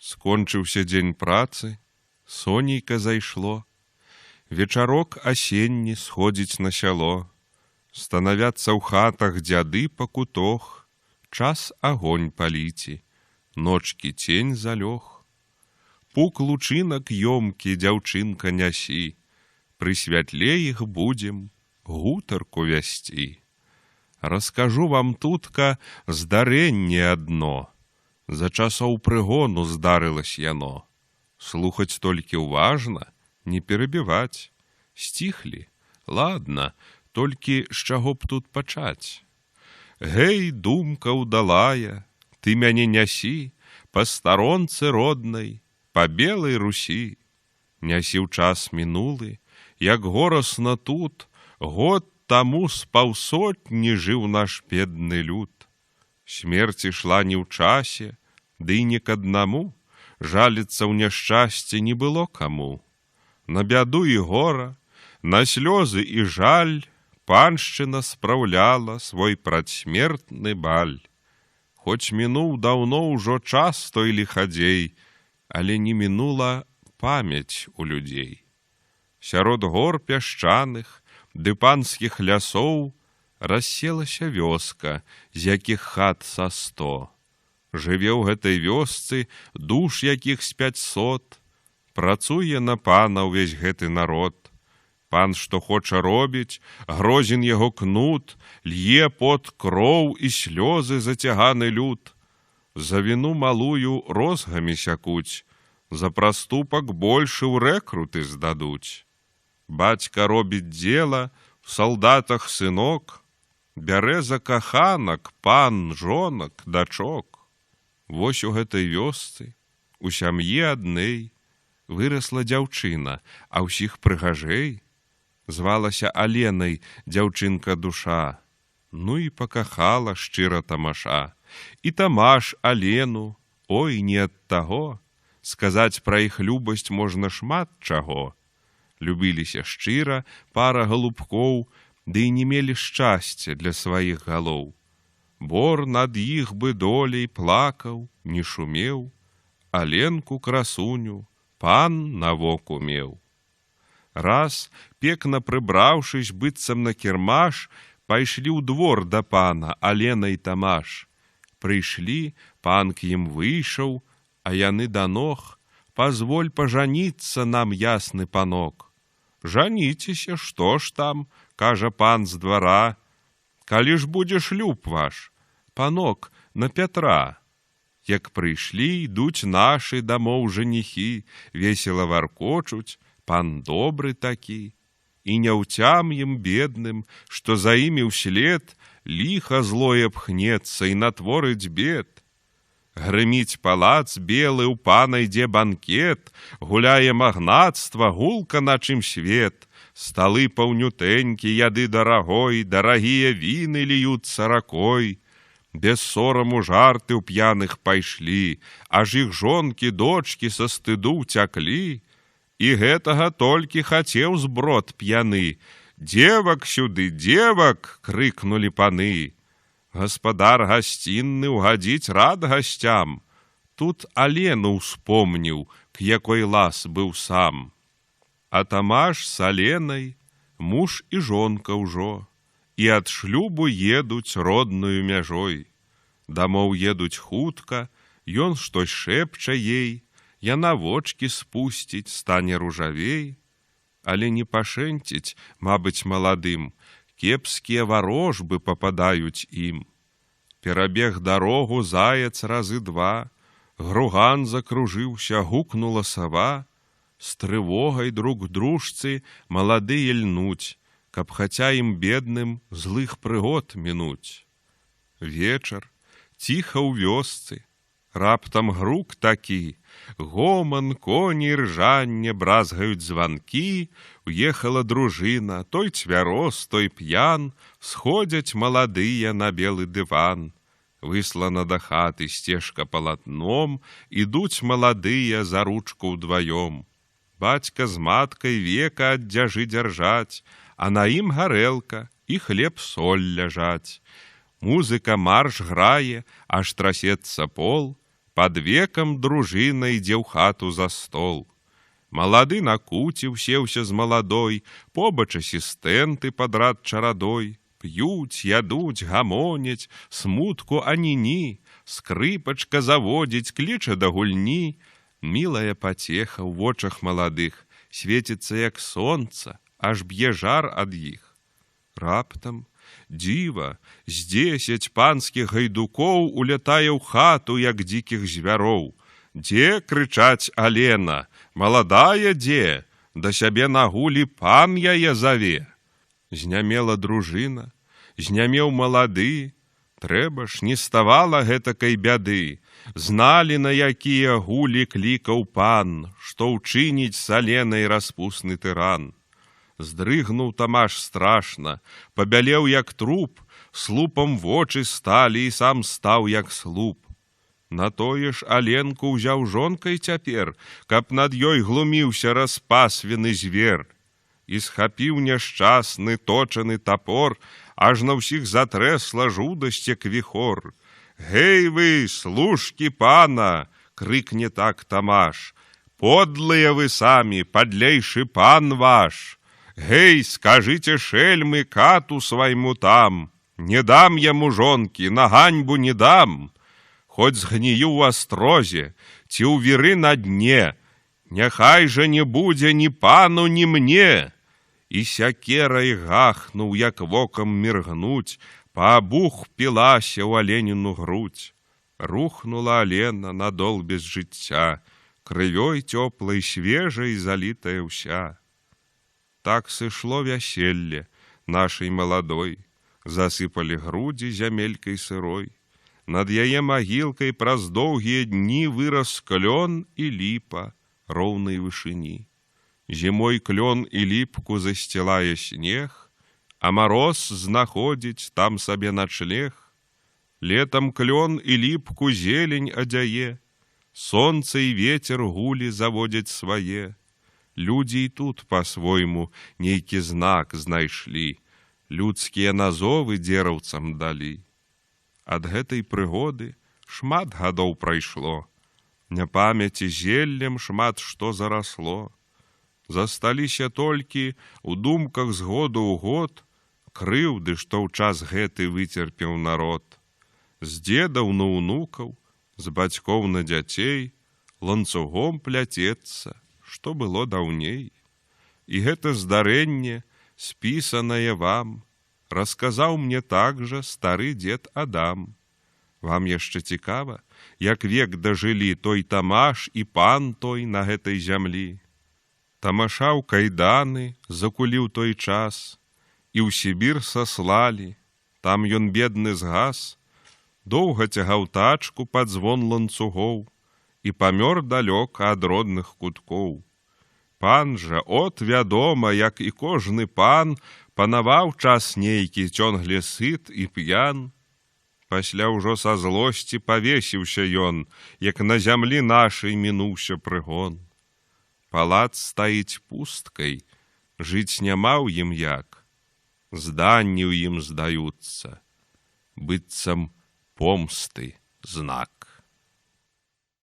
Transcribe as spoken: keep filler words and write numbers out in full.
Скончыўся дзень працы, сонейка зайшло, вечарок асенні сходзіць на сяло, станавяцца ў хатах дзяды па кутох, час агонь паліці, ночкі цень залёг. Пук лучынак ёмкі, дзяўчынка, нясі, пры святле іх будзем гутарку вясці. Раскажу вам тутка здарэнне адно, за часоў прыгону здарылась яно. Слухаць толькі ўважна, не перабіваць. Сціхлі, ладна, толькі з чаго б тут пачаць. Гэй, думка ўдалая, ты мяне нясі па старонцы роднай, па белай Русі. Нясі ў час мінулы, як горасна тут, год таму з паўсотні жыў наш бедны люд. Смерць ішла не ў часе, ды і не к аднаму, жаліцца ў няшчасці не было каму. На бяду і гора, на слёзы і жаль паншчына спраўляла свой прадсмертны баль. Хоць мінуў даўно ўжо час той ліхадзей, але не мінула памяць у людзей. Сярод гор пясчаных ды панскіх лясоў расселася вёска, з якіх хат са сто. Жыве ў гэтай вёсцы душ якіх з пяцьсот. Працуе на пана ўвесь гэты народ. Пан, што хоча робіць, грозен яго кнут, лье пот кроў і слёзы зацяганы люд. За віну малую розгамі сякуць, за праступак большы ў рэкруты здадуць. Бацька робіць дзела, в салдатах сынок, бярэ за каханак пан, жонак, дачок. Вось у гэтай вёсцы, у сям'і аднэй, вырасла дзяўчына, а ўсіх прыгажэй. Звалася Аленай дзяўчынка душа, ну і пакахала шчыра Тамаша. І Тамаш Алену, ой, не ад таго, сказаць пра іх любасць можна шмат чаго. Любіліся шчыра пара галубкоў, ды і не мелі шчасця для сваіх галоў. Бор над іх бы долей плакаў, не шумеў, Аленку красуню пан на воку меў. Раз, пекна прыбраўшыся быццам на кірмаш, пайшлі ў двор да пана Алена і Тамаш. Прыйшлі, пан к ім выйшаў, а яны да ног: «Позволь пажаніцца нам, ясны панок». «Жаніцеся, што ж там?» – кажа пан з двара. «Калі ж будзе шлюб ваш, панок, на Пятра». Як прыйшлі, ідуць нашы дамоў жаніхі, весела варкочуць, пан добры такі. І няўцям ім бедным, што за імі ўслед ліха злое пхнецца і натворыць бед. Грыміць палац белы, у пана ідзе банкет, гуляе магнацтва, гулка на чым свет. Сталы паўнютэнькі, яды дарагой, дарагія віны льюцца ракой. Без сораму жарты ў п'яных пайшлі, аж іх жонкі, дочкі са стыду ўцяклі. І гэтага толькі хацеў зброд п'яны. «Дзевак сюды, дзевак!» – крыкнулі паны. Гаспадар гасцінны угадзіць рад гасцям. Тут Алену ўспомніў, к якой лас быў сам. А Тамаш с Аленай муж і жонка ўжо, і ад шлюбу едуць роднаю мяжой. Дамоў едуць хутка, ён штось шэпча ей, яна вочкі спусціць, стане ружавей. Але не пашэнціць, мабыць, маладым, кепскія варожбы пападаюць ім. Перабег дарогу заяц разы два, груган закружыўся, гукнула сава. З трывогай друг дружцы маладыя льнуць, каб хаця ім бедным злых прыгод мінуць. Вечар, ціха ў вёсцы, раптам грук такі, гоман, коні, ржанне, бразгаюць званкі. Уехала дружына, той цвяроз, той п'ян, сходзяць маладыя на белы дыван. Выслана да хаты сцежка палатном, ідуць маладыя за ручку ўдваём. Бацька з маткай века ад дзяжы дзяржаць, а на ім гарэлка і хлеб-соль ляжаць. Музыка марш грае, аж трасецца пол, пад векам дружына ідзе ў хату за стол. Малады на куце ўсеўся з маладой, побач асістэнты падрад чарадой. П'юць, ядуць, гамоняць, смутку ані-ні, скрыпачка заводзіць, кліча да гульні. Мілая пацеха ў вочах маладых свеціцца, як сонца, аж б'е жар ад іх. Раптам дзіва, з дзесяць панскіх гайдукоў улятае ў хату, як дзікіх звяроў. Дзе, крычаць, Алена, маладая дзе? Да сябе на гулі пан яе заве. Знямела дружына, знямеў малады, трэба ж, не ставала гэтакай бяды. Зналі, на якія гулі клікаў пан, што ўчыніць з Аленай распусны тыран. Здрыгнуў Тамаш страшна, пабялеў як труп, слупам вочы сталі і сам стаў як слуп. На тое ж Аленку ўзяў жонкай цяпер, каб над ёй глуміўся распасвены звер. І схапіў няшчасны точаны тапор, аж на ўсіх затрэсла жудасць, як віхор. «Гэй вы, служкі пана!» — крыкне так Тамаш. «Подлыя вы самі, падлейшы пан ваш! Гэй, скажыце шельмы кату свайму там! Не дам яму жонкі, на ганьбу не дам! Хоць згнію ў астрозе, ці ў віры на дне, няхай жа не будзе ні пану, ні мне!» І сякерай гахнуў, як вокам міргнуць, паабух пілася ў Аленіну грудь. Рухнула Алена на дол без жыцця, крывёй цёплай свежай залітая ўся. Так сышло вяселле нашай маладой, засыпалі грудзі зямелькай сырой. Над яе магілкай праз доўгія дні вырас клён і ліпа роўнай вышыні. Зімой клён і ліпку засцілае снег, а мароз знаходзіць там сабе начлег. Летам клён і ліпку зелень адзяе, сонца і вецер гулі заводзяць свае. Людзі і тут па-свойму нейкі знак знайшлі, людскія назовы дзераўцам далі. Ад гэтай прыгоды шмат гадоў прайшло, няпамяці зеллем шмат што зарасло. Засталіся толькі ў думках з году ў год крыўды, што ў час гэты выцерпеў народ. З дзедаў на ўнукаў, з бацькоў на дзяцей ланцугом пляцецца, што было даўней. І гэта здарэнне, спісанае вам, расказаў мне так жа стары дзед Адам. Вам яшчэ цікава, як век дажылі той Тамаш і пан той на гэтай зямлі. Тамаша ў кайданы закуліў той час, і ў Сібір саслалі, там ён бедны згас, доўга цягаў тачку пад звон ланцугоў і памёр далёка ад родных куткоў. Пан жа, от вядома, як і кожны пан, панаваў час нейкі цёнгле сыт і п'ян. Пасля ўжо са злосці павесіўся ён, як на зямлі нашай мінуўся прыгон. Палац стаіць пусткай, жыць няма ў ім як, зданні ў ім здаюцца, быццам помсты знак.